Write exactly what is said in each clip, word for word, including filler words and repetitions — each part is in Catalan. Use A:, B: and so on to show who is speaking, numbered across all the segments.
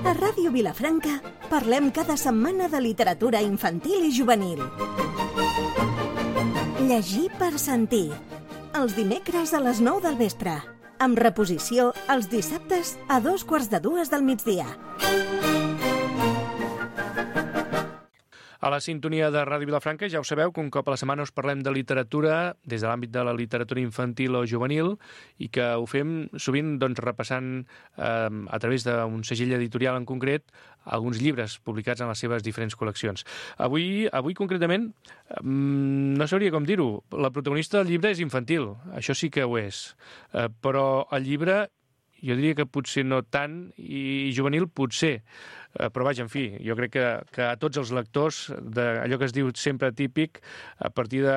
A: A Ràdio Vilafranca parlem cada setmana de literatura infantil i juvenil. Llegir per sentir. Els dimecres a les nou del vespre. Amb reposició els dissabtes a dos quarts de dues del migdia.
B: A la sintonia de Ràdio Vilafranca ja ho sabeu que un cop a la setmana us parlem de literatura des de l'àmbit de la literatura infantil o juvenil i que ho fem sovint doncs, repassant eh, a través d'un segell editorial en concret alguns llibres publicats en les seves diferents col·leccions. Avui, avui concretament, eh, no sabria com dir-ho, la protagonista del llibre és infantil, això sí que ho és, eh, però el llibre jo diria que potser no tant i juvenil potser. Però vaja, en fi, jo crec que, que a tots els lectors d'allò que es diu sempre típic, a partir de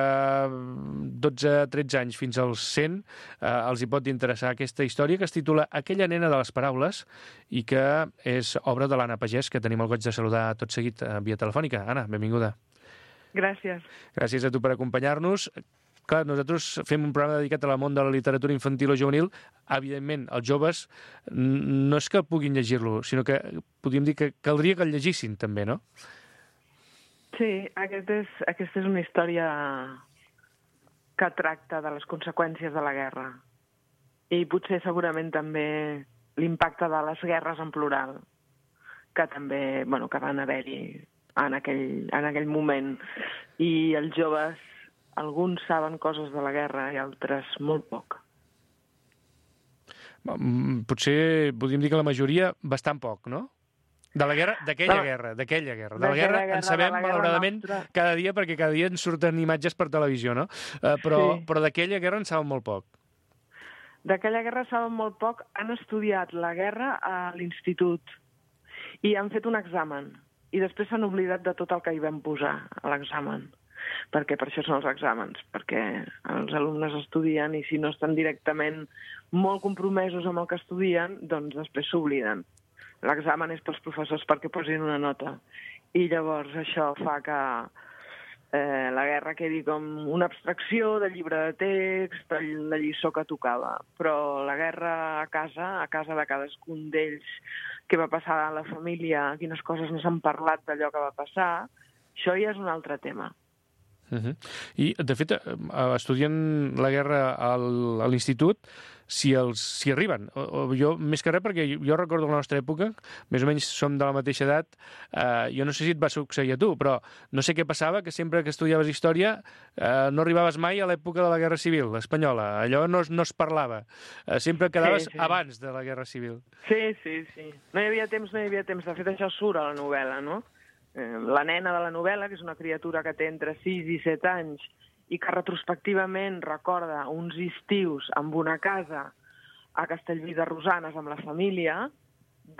B: dotze tretze anys fins als cent, eh, els hi pot interessar aquesta història que es titula Aquella nena de les paraules i que és obra de l'Anna Pagès, que tenim el goig de saludar tot seguit via telefònica. Anna, benvinguda.
C: Gràcies.
B: Gràcies a tu per acompanyar-nos. Clar, nosaltres fem un programa dedicat al món de la literatura infantil o juvenil. Evidentment, els joves no és que puguin llegir-lo, sinó que podríem dir que caldria que el llegissin també, no?
C: Sí, aquesta és, aquesta és una història que tracta de les conseqüències de la guerra i potser segurament també l'impacte de les guerres en plural, que també, bueno, que van haver-hi en aquell, en aquell moment. I els joves, alguns saben coses de la guerra i altres molt poc.
B: Potser podríem dir que la majoria bastant poc, no? De la guerra, d'aquella no. guerra, d'aquella guerra. De la guerra, guerra en sabem, malauradament, nostra. Cada dia, perquè cada dia ens surten imatges per televisió, no? Uh, però sí. però d'aquella guerra en saben molt poc.
C: D'aquella guerra saben molt poc. Han estudiat la guerra a l'institut i han fet un examen. I després s'han oblidat de tot el que hi vam posar a l'examen. Perquè per això són els exàmens, perquè els alumnes estudien i si no estan directament molt compromesos amb el que estudien, doncs després s'obliden. L'examen és pels professors perquè posin una nota. I llavors això fa que eh, la guerra quedi com una abstracció del llibre de text, de la lliçó que tocava. Però la guerra a casa, a casa de cadascun d'ells, què va passar a la família, quines coses no s'han parlat d'allò que va passar, això ja és un altre tema.
B: Uh-huh. I, de fet, estudien la guerra al, a l'institut, si els si arriben. O, o jo, més que res, perquè jo, jo recordo la nostra època, més o menys som de la mateixa edat, eh, jo no sé si et va succeir a tu, però no sé què passava, que sempre que estudiaves història eh, no arribaves mai a l'època de la Guerra Civil espanyola. Allò no, no es parlava. Eh, sempre quedaves sí, sí. abans de la Guerra Civil.
C: Sí, sí, sí. No hi havia temps, no hi havia temps. De fet, això surt a la novel·la, no? La nena de la novel·la, que és una criatura que té entre sis i set anys i que retrospectivament recorda uns estius amb una casa a Castellví de Rosanes amb la família,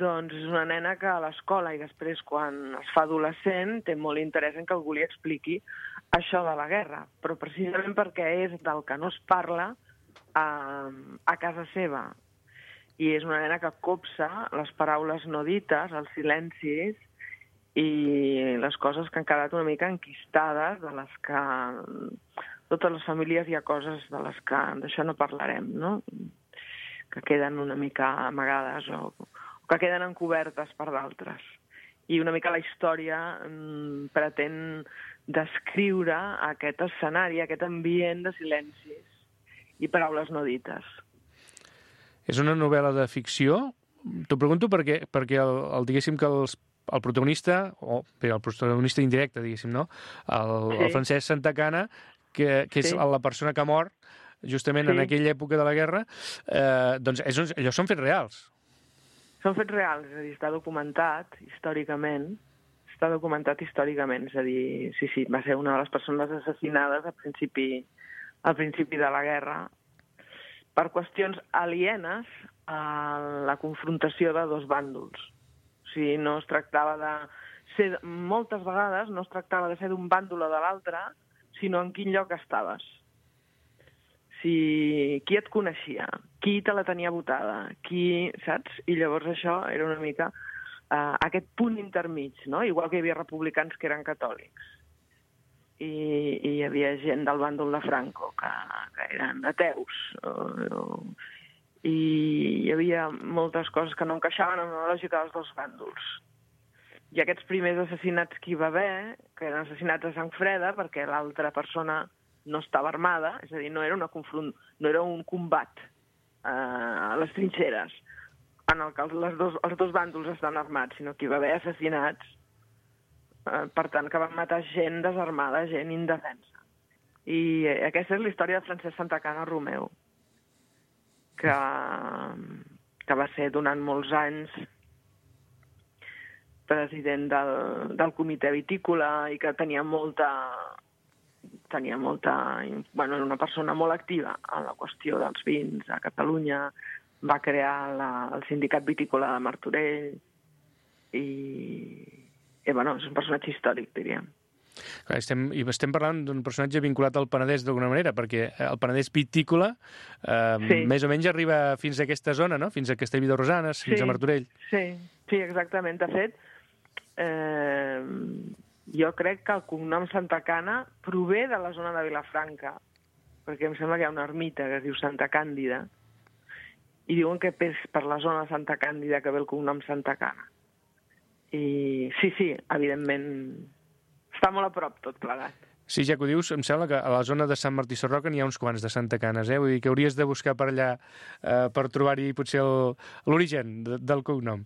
C: doncs és una nena que a l'escola i després quan es fa adolescent té molt interès en que algú li expliqui això de la guerra, però precisament perquè és del que no es parla a, a casa seva. I és una nena que copsa les paraules no dites, els silencis, i les coses que han quedat una mica enquistades, de les que totes les famílies hi ha coses de les que d'això no parlarem, no? Que queden una mica amagades o, o que queden encobertes per d'altres. I una mica la història mm, pretén descriure aquest escenari, aquest ambient de silencis i paraules no dites.
B: És una novel·la de ficció? T'ho pregunto perquè, perquè el, el, diguéssim que els el protagonista, o bé, el protagonista indirecte, diguéssim, no? El, sí. el Francesc Santacana, que, que és sí. la persona que mor justament sí. en aquella època de la guerra, eh, doncs és, allò són fets reals.
C: Són fets reals, és a dir, està documentat històricament, està documentat històricament, és a dir, sí, sí, va ser una de les persones assassinades al principi, al principi de la guerra per qüestions alienes a la confrontació de dos bàndols. O sigui, no es tractava de ser, moltes vegades no es tractava de ser d'un bàndol o de l'altre, sinó en quin lloc estaves. Si, qui et coneixia, qui te la tenia votada, qui, saps? I llavors això era una mica uh, aquest punt intermig, no? Igual que hi havia republicans que eren catòlics. I, i hi havia gent del bàndol de Franco que, que eren ateus. O, o, i hi havia moltes coses que no encaixaven en la lògica dels dos bàndols. I aquests primers assassinats que hi va haver, que eren assassinats a sang freda, perquè l'altra persona no estava armada, és a dir, no era, una confront... no era un combat eh, a les trinxeres, en el que les dos, els dos bàndols estan armats, sinó que hi va haver assassinats, eh, per tant, que van matar gent desarmada, gent indefensa. I aquesta és la història de Francesc Santacana Romeu, que, que va ser durant molts anys president del, del comitè vitícola i que tenia molta... tenia molta... Bueno, era una persona molt activa en la qüestió dels vins a Catalunya. Va crear la, el sindicat vitícola de Martorell i, i bueno, és un personatge històric, diríem.
B: Clar, estem, i estem parlant d'un personatge vinculat al Penedès d'alguna manera, perquè el Penedès vitícola eh, sí. més o menys arriba fins a aquesta zona, no? Fins a Castellví de Rosanes, fins sí, a Martorell.
C: Sí, sí, exactament. De fet, eh, jo crec que el cognom Santacana prové de la zona de Vilafranca, perquè em sembla que hi ha una ermita que es diu Santa Càndida, i diuen que és per la zona de Santa Càndida que ve el cognom Santacana. I sí, sí, evidentment... Està molt a prop tot plegat.
B: Sí, ja que ho dius, em sembla que a la zona de Sant Martí Sarroca n'hi ha uns quants de Santacanes, eh? Vull dir que hauries de buscar per allà eh, per trobar-hi potser l'origen de, del cognom.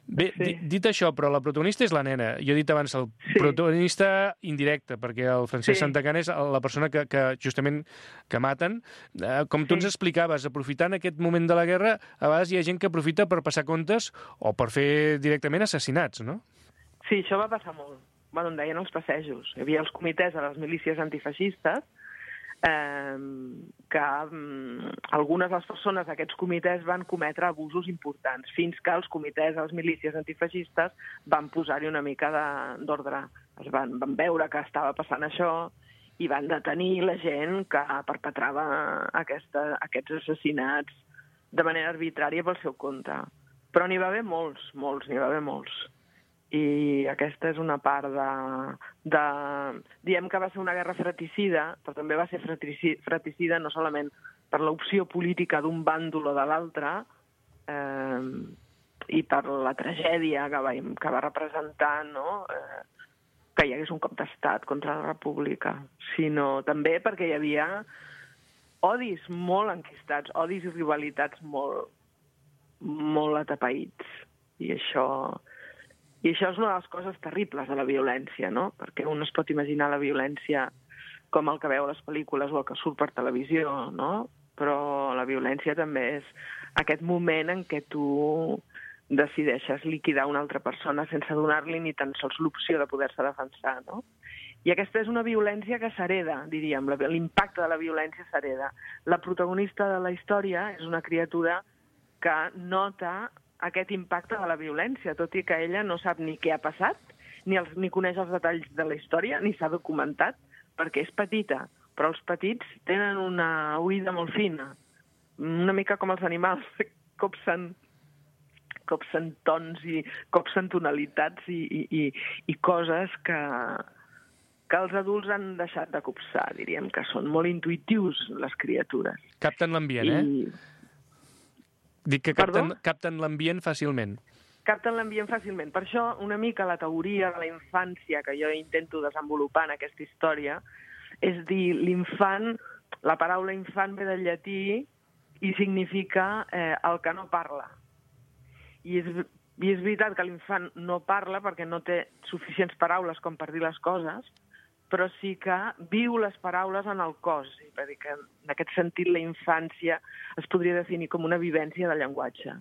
B: Bé, sí. dit això, però la protagonista és la nena. Jo he dit abans el sí. protagonista indirecte, perquè el Francesc sí. Santacana és la persona que, que justament que maten. Eh, com tu sí. ens explicaves, aprofitant aquest moment de la guerra, a vegades hi ha gent que aprofita per passar comptes o per fer directament assassinats, no?
C: Sí, això va passar molt. Bueno, en deien els passejos. Hi havia els comitès de les milícies antifeixistes eh, que eh, algunes de les persones d'aquests comitès van cometre abusos importants, fins que els comitès de les milícies antifeixistes van posar-hi una mica d'ordre. Es van, van veure que estava passant això i van detenir la gent que perpetrava aquesta, aquests assassinats de manera arbitrària pel seu compte. Però n'hi va haver molts, molts, n'hi va haver molts. I aquesta és una part de, de... Diem que va ser una guerra fratricida, però també va ser fratricida no solament per l'opció política d'un bàndol o de l'altre eh, i per la tragèdia que va, que va representar, no? eh, que hi hagués un cop d'estat contra la república, sinó també perquè hi havia odis molt enquistats, odis i rivalitats molt, molt atapeïts. I això... I això és una de les coses terribles de la violència, no? Perquè un es pot imaginar la violència com el que veu a les pel·lícules o el que surt per televisió, no? Però la violència també és aquest moment en què tu decideixes liquidar una altra persona sense donar-li ni tan sols l'opció de poder-se defensar, no? I aquesta és una violència que s'hereda, diríem, l'impacte de la violència s'hereda. La protagonista de la història és una criatura que nota aquest impacte de la violència, tot i que ella no sap ni què ha passat, ni, els, ni coneix els detalls de la història, ni s'ha documentat, perquè és petita. Però els petits tenen una oïda molt fina, una mica com els animals, copsen, copsen tons i copsen tonalitats i, i, i, i coses que, que els adults han deixat de copsar, diríem, que són molt intuitius, les criatures.
B: Capten l'ambient, I... eh? Dic que capten, capten l'ambient fàcilment.
C: Capten l'ambient fàcilment. Per això, una mica la teoria de la infància que jo intento desenvolupar en aquesta història és dir, l'infant, la paraula infant ve del llatí i significa eh, el que no parla. I és, i és veritat que l'infant no parla perquè no té suficients paraules com per dir les coses, però sí que viu les paraules en el cos. Per dir que en aquest sentit la infància es podria definir com una vivència del llenguatge.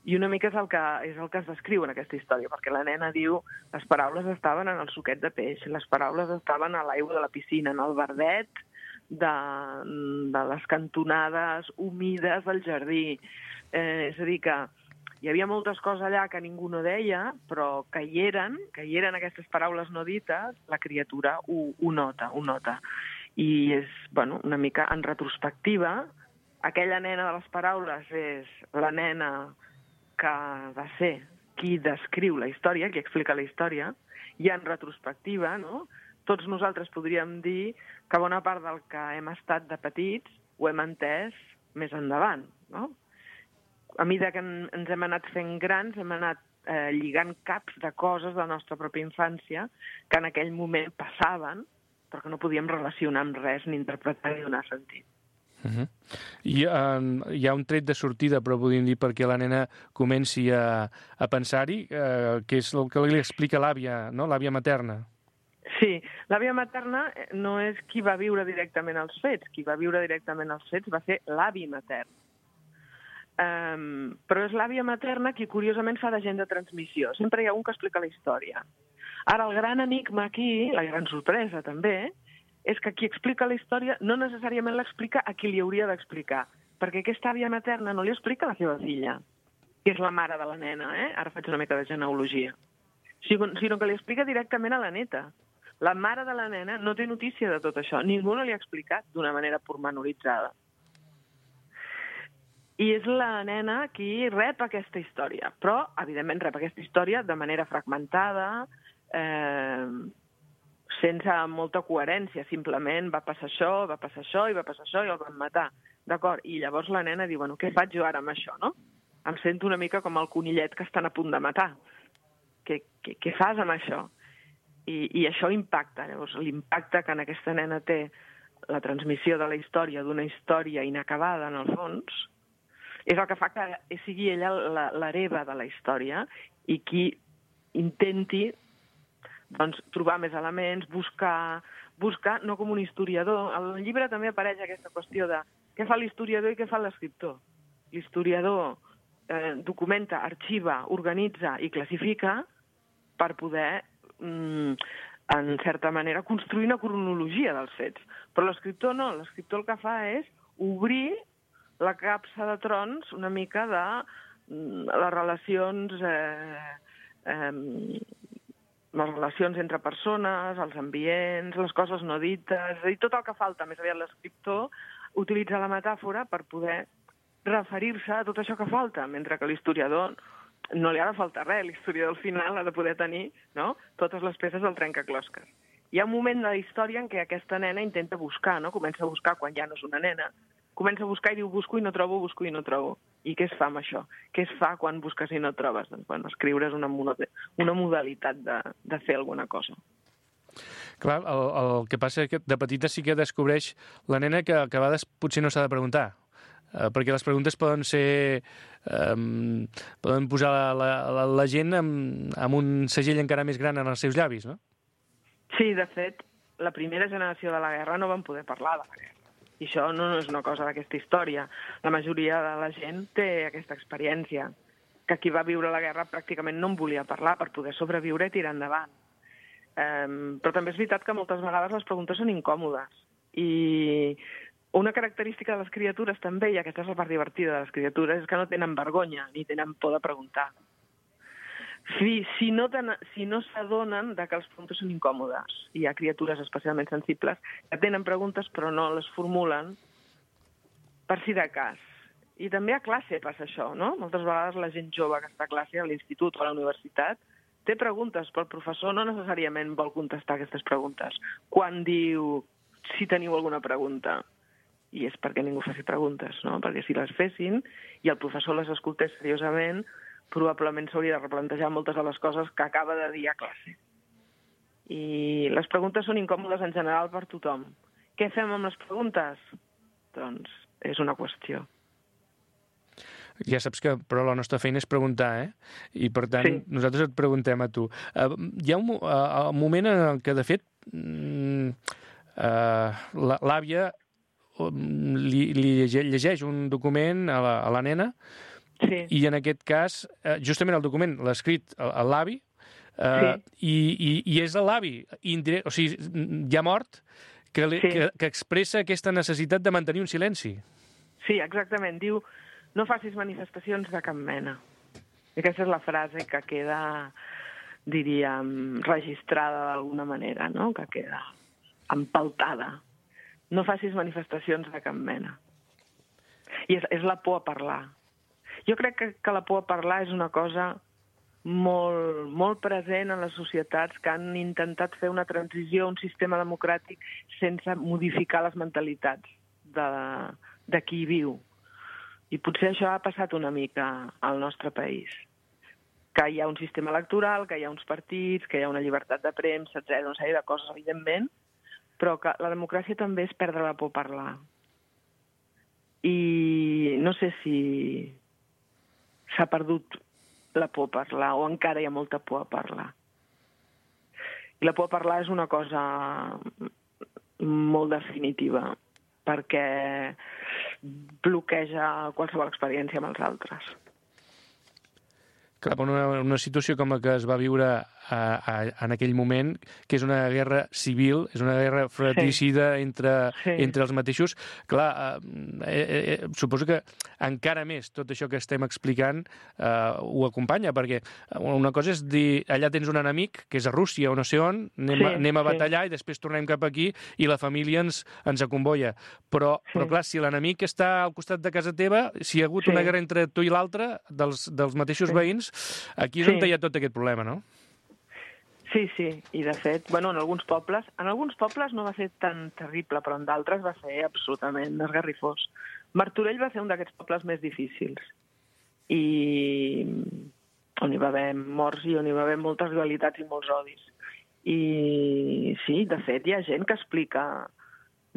C: I una mica és el que, és el que es descriu en aquesta història, perquè la nena diu les paraules estaven en el suquet de peix, les paraules estaven a l'aigua de la piscina, en el verdet de, de les cantonades humides del jardí. Eh, és a dir, que hi havia moltes coses allà que ningú no deia, però que hi eren, que hi eren aquestes paraules no dites, la criatura ho, ho nota, ho nota. I és, bueno, una mica en retrospectiva, aquella nena de les paraules és la nena que va ser qui descriu la història, qui explica la història, i en retrospectiva, no? Tots nosaltres podríem dir que bona part del que hem estat de petits ho hem entès més endavant, no? a mesura que ens hem anat fent grans, hem anat eh, lligant caps de coses de la nostra pròpia infància que en aquell moment passaven, però que no podíem relacionar amb res, ni interpretar ni donar sentit.
B: Uh-huh. I uh, hi ha un tret de sortida, però podríem dir perquè la nena comenci a, a pensar-hi, uh, que és el que li explica l'àvia, no? L'àvia materna.
C: Sí, l'àvia materna no és qui va viure directament els fets. Qui va viure directament els fets va ser l'avi matern. Um, però és l'àvia materna qui, curiosament, fa d'agent de transmissió. Sempre hi ha un que explica la història. Ara, el gran enigma aquí, la gran sorpresa també, és que qui explica la història no necessàriament l'explica a qui li hauria d'explicar, perquè aquesta àvia materna no li explica a la seva filla, que és la mare de la nena, eh? Ara faig una mica de genealogia, sinó que li explica directament a la neta. La mare de la nena no té notícia de tot això. Ningú no li ha explicat d'una manera pormenoritzada. I és la nena qui rep aquesta història. Però, evidentment, rep aquesta història de manera fragmentada, eh, sense molta coherència. Simplement va passar això, va passar això, i va passar això, i el van matar. D'acord? I llavors la nena diu, bueno, què faig jo ara amb això, no? Em sento una mica com el conillet que estan a punt de matar. Què, què, què fas amb això? I, i això impacta. Llavors, l'impacte que en aquesta nena té la transmissió de la història, d'una història inacabada, en el fons, és el que fa que sigui ella l'hereva de la història i qui intenti doncs, trobar més elements, buscar, buscar, no com un historiador. Al llibre també apareix aquesta qüestió de què fa l'historiador i què fa l'escriptor. L'historiador eh, documenta, arxiva, organitza i classifica per poder en certa manera, construir una cronologia dels fets. Però l'escriptor no. L'escriptor el que fa és obrir la capsa de trons una mica de les relacions eh, eh, les relacions entre persones, els ambients, les coses no dites, és a dir, tot el que falta. Més aviat l'escriptor utilitza la metàfora per poder referir-se a tot això que falta, mentre que l'historiador no li ha de faltar res, l'historiador al final ha de poder tenir, no?, totes les peces del trencaclosques. Hi ha un moment de la història en què aquesta nena intenta buscar, no? Comença a buscar quan ja no és una nena, comença a buscar i diu busco i no trobo, busco i no trobo. I què es fa amb això? Què es fa quan busques i no trobes? Doncs, bueno, escriure és una, una modalitat de, de fer alguna cosa.
B: Clar, el, el que passa és que de petita sí que descobreix la nena que, que a vegades potser no s'ha de preguntar. Uh, perquè les preguntes poden ser... Um, poden posar la, la, la gent amb, amb un segell encara més gran en els seus llavis, no?
C: Sí, de fet, la primera generació de la guerra no van poder parlar de la guerra. I això no, no és una cosa d'aquesta història. La majoria de la gent té aquesta experiència, que qui va viure la guerra pràcticament no en volia parlar per poder sobreviure i tirar endavant. Um, però també és veritat que moltes vegades les preguntes són incòmodes. I una característica de les criatures també, i aquesta és la part divertida de les criatures, és que no tenen vergonya ni tenen por de preguntar. Si, si no, si no s'adonen de que les preguntes són incòmodes, hi ha criatures especialment sensibles que tenen preguntes però no les formulen per si de cas. I també a classe passa això, no? Moltes vegades la gent jove que està a classe, a l'institut o a la universitat, té preguntes, però el professor no necessàriament vol contestar aquestes preguntes. Quan diu, si teniu alguna pregunta, i és perquè ningú faci preguntes, no? Perquè si les fessin i el professor les escoltés seriosament, probablement s'hauria de replantejar moltes de les coses que acaba de dir a classe. I les preguntes són incòmodes en general per tothom. Què fem amb les preguntes? Doncs és una qüestió.
B: Ja saps que, però la nostra feina és preguntar, eh? I, per tant, sí. Nosaltres et preguntem a tu. Uh, hi ha un, uh, un moment en què, de fet, uh, l'àvia li, li llegeix un document a la, a la nena,
C: sí.
B: I en aquest cas, uh, justament el document l'ha escrit l'avi, uh, sí. i, i, i és l'avi, o sigui, ja mort, que, li, sí. que, que expressa aquesta necessitat de mantenir un silenci.
C: Sí, exactament. Diu, no facis manifestacions de cap mena. I aquesta és la frase que queda, diríem, registrada d'alguna manera, no? Que queda empaltada. No facis manifestacions de cap mena. I és, és la por a parlar. Jo crec que, que la por a parlar és una cosa molt, molt present en les societats que han intentat fer una transició a un sistema democràtic sense modificar les mentalitats de, de qui hi viu. I potser això ha passat una mica al nostre país. Que hi ha un sistema electoral, que hi ha uns partits, que hi ha una llibertat de premsa, etcètera, una sèrie de coses, evidentment, però que la democràcia també és perdre la por a parlar. I no sé si s'ha perdut la por a parlar o encara hi ha molta por a parlar. I la por a parlar és una cosa molt definitiva, perquè bloqueja qualsevol experiència amb els altres.
B: Clar, una, una situació com la que es va viure a, a, en aquell moment, que és una guerra civil, és una guerra fratricida sí. entre, sí. entre els mateixos. Clar, eh, eh, suposo que encara més tot això que estem explicant eh, ho acompanya, perquè una cosa és dir, allà tens un enemic, que és a Rússia o no sé on, anem, sí, anem a batallar sí. i després tornem cap aquí i la família ens, ens acomboia. Però, sí. però clar, si l'enemic està al costat de casa teva, si hi ha hagut sí. una guerra entre tu i l'altre, dels, dels mateixos sí. veïns, aquí és sí. on hi ha tot aquest problema, no?
C: Sí, sí, i de fet, bueno, en alguns pobles, en alguns pobles no va ser tan terrible, però en d'altres va ser absolutament esgarrifós. Martorell va ser un d'aquests pobles més difícils, i on hi va haver morts i on hi va haver moltes rivalitats i molts odis. I sí, de fet, hi ha gent que explica,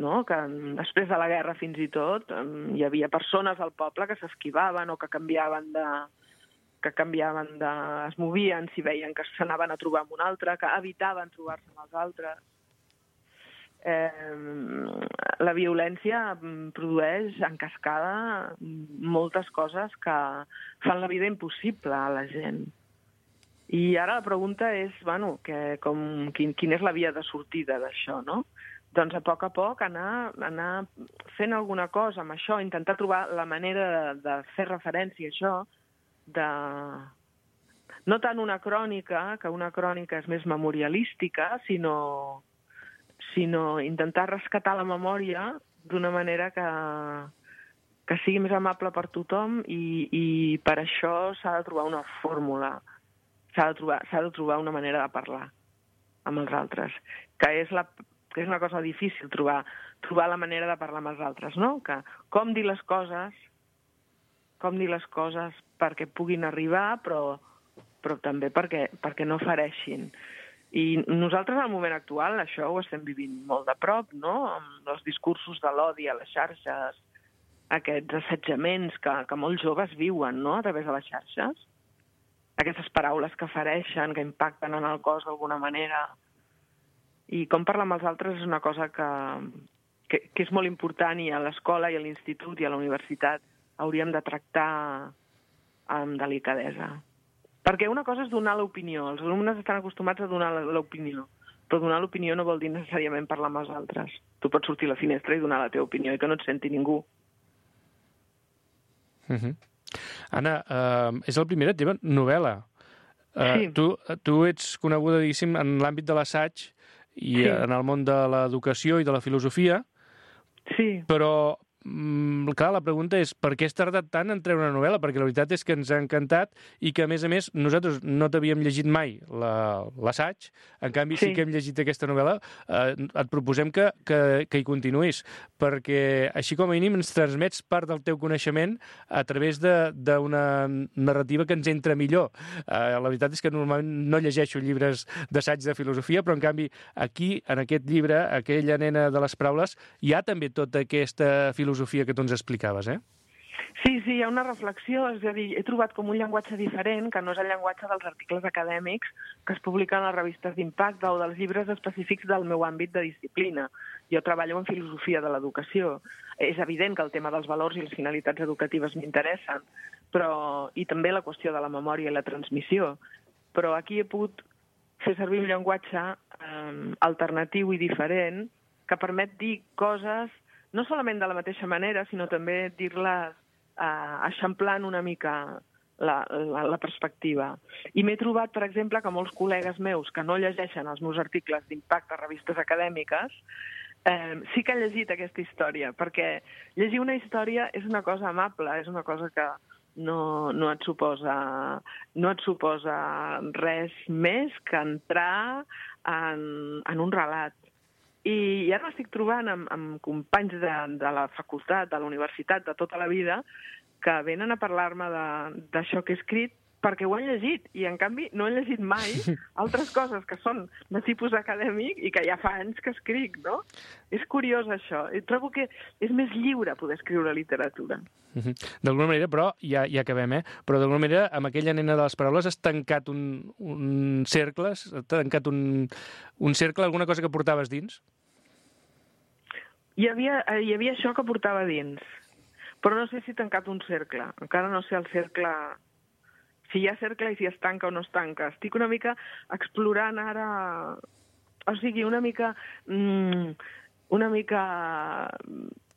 C: no?, que després de la guerra fins i tot hi havia persones al poble que s'esquivaven o que canviaven de... que canviaven de... es movien si veien que s'anaven a trobar amb un altre, que evitaven trobar-se amb els altres. Eh, la violència produeix en cascada moltes coses que fan la vida impossible a la gent. I ara la pregunta és, bueno, que com, quin, quina és la via de sortida d'això, no? Doncs a poc a poc anar, anar fent alguna cosa amb això, intentar trobar la manera de, de fer referència a això, de... no tant una crònica, que una crònica és més memorialística, sinó, sinó intentar rescatar la memòria d'una manera que, que sigui més amable per tothom i, i per això s'ha de trobar una fórmula, s'ha de trobar, s'ha de trobar una manera de parlar amb els altres, que és, la, que és una cosa difícil, trobar, trobar la manera de parlar amb els altres, no? Que com dir les coses, com dir les coses perquè puguin arribar, però, però també perquè, perquè no fereixin. I nosaltres, al moment actual, això ho estem vivint molt de prop, no?, amb els discursos de l'odi a les xarxes, aquests assetjaments que, que molts joves viuen, no?, a través de les xarxes, aquestes paraules que fereixen, que impacten en el cos d'alguna manera. I com parlar amb els altres és una cosa que, que, que és molt important, i a l'escola, i a l'institut, i a la universitat hauríem de tractar amb delicadesa. Perquè una cosa és donar l'opinió. Els alumnes estan acostumats a donar l'opinió, però donar l'opinió no vol dir necessàriament parlar amb els altres. Tu pots sortir a la finestra i donar la teva opinió i que no et senti ningú.
B: Uh-huh. Anna, uh, és la primera teva novel·la. Uh, sí. Tu, tu ets coneguda, diguéssim, en l'àmbit de l'assaig i sí. en el món de l'educació i de la filosofia,
C: sí.
B: però Mm, clar, la pregunta és per què has tardat tant en treure una novel·la? Perquè la veritat és que ens ha encantat i que, a més a més, nosaltres no t'havíem llegit mai l'assaig, en canvi sí. sí que hem llegit aquesta novel·la. Eh, et proposem que, que, que hi continuïs, perquè així com a mínim ens transmets part del teu coneixement a través d'una narrativa que ens entra millor. Eh, la veritat és que normalment no llegeixo llibres d'assaig de filosofia, però en canvi aquí, en aquest llibre, aquella nena de les paraules, hi ha també tota aquesta filosofia filosofia que tu ens explicaves, eh?
C: Sí, sí, hi ha una reflexió, és a dir, he trobat com un llenguatge diferent, que no és el llenguatge dels articles acadèmics que es publiquen a les revistes d'impacte o dels llibres específics del meu àmbit de disciplina. Jo treballo en filosofia de l'educació. És evident que el tema dels valors i les finalitats educatives m'interessen, però i també la qüestió de la memòria i la transmissió. Però aquí he pogut fer servir un llenguatge eh, alternatiu i diferent que permet dir coses no solament de la mateixa manera, sinó també dir-les eh, eixamplant una mica la, la, la perspectiva. I m'he trobat, per exemple, que molts col·legues meus que no llegeixen els meus articles d'impacte a revistes acadèmiques eh, sí que han llegit aquesta història, perquè llegir una història és una cosa amable, és una cosa que no, no, et suposa, no et suposa res més que entrar en, en un relat. I ara m'estic trobant amb, amb companys de, de la facultat, de la universitat, de tota la vida, que venen a parlar-me d'això que he escrit perquè ho han llegit, i en canvi no han llegit mai altres coses que són de tipus acadèmic i que ja fa anys que escric, no? És curiós això. I trobo que és més lliure poder escriure literatura.
B: Uh-huh. D'alguna manera, però, ja, ja acabem, eh? Però d'alguna manera, amb aquella nena de les paraules has tancat un, un cercle, has tancat un, un cercle, alguna cosa que portaves dins?
C: Hi havia, hi havia això que portava dins, però no sé si he tancat un cercle. Encara no sé el cercle... si hi ha cercle i si es tanca o no es tanca. Estic una mica explorant ara... O sigui, una mica... Mm, una mica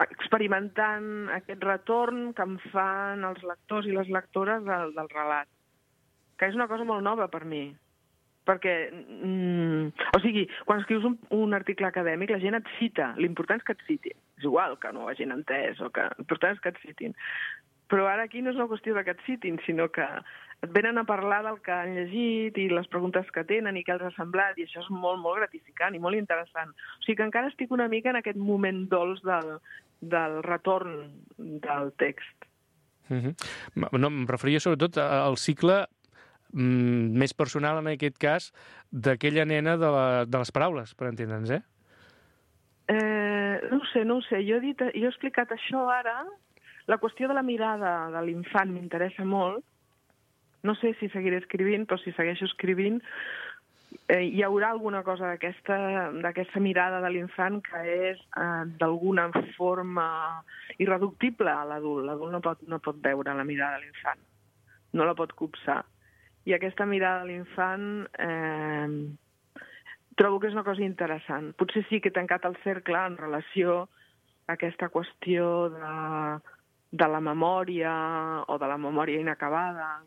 C: experimentant aquest retorn que em fan els lectors i les lectores del, del relat, que és una cosa molt nova per mi. Perquè, mm, o sigui, quan escrius un, un article acadèmic, la gent et cita. L'important és que et citin. És igual que no ho hagin entès, o que... l'important és que et citin. Però ara aquí no és una qüestió de que et citin, sinó que et venen a parlar del que han llegit i les preguntes que tenen i què els ha semblat, i això és molt, molt gratificant i molt interessant. O sigui que encara estic una mica en aquest moment dolç del, del retorn del text.
B: Uh-huh. No, em referia sobretot al cicle mm, més personal, en aquest cas, d'aquella nena de, la, de les paraules, per entendre'ns, eh?
C: Eh, no ho sé, no ho sé. Jo he, dit, jo he explicat això ara. La qüestió de la mirada de l'infant m'interessa molt. No sé si seguiré escrivint, però si segueixo escrivint eh, hi haurà alguna cosa d'aquesta d'aquesta mirada de l'infant que és eh, d'alguna forma irreductible a l'adult. L'adult no pot, no pot veure la mirada de l'infant, no la pot copsar. I aquesta mirada de l'infant eh, trobo que és una cosa interessant. Potser sí que he tancat el cercle en relació a aquesta qüestió de... de la memòria o de la memòria inacabada.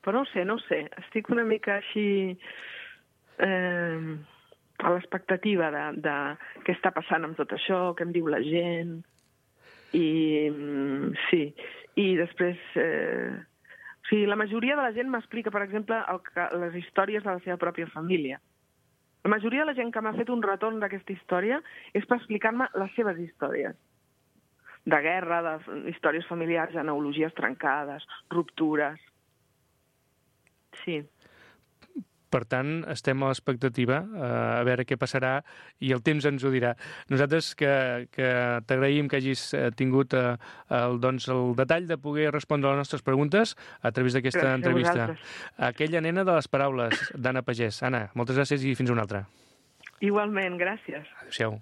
C: Però no ho sé, no ho sé. Estic una mica així eh, a l'expectativa de, de què està passant amb tot això, què em diu la gent. I sí, i després... Eh, o sigui, la majoria de la gent m'explica, per exemple, el que, les històries de la seva pròpia família. La majoria de la gent que m'ha fet un retorn d'aquesta història és per explicar-me les seves històries. De guerra, de històries familiars, genealogies trencades, ruptures. Sí.
B: Per tant, estem a l'expectativa, a veure què passarà, i el temps ens ho dirà. Nosaltres que, que t'agraïm que hagis tingut el, doncs, el detall de poder respondre a les nostres preguntes a través d'aquesta entrevista. Aquella nena de les paraules, d'Anna Pagès. Anna, moltes gràcies i fins una altra.
C: Igualment, gràcies.
B: Adéu-siau.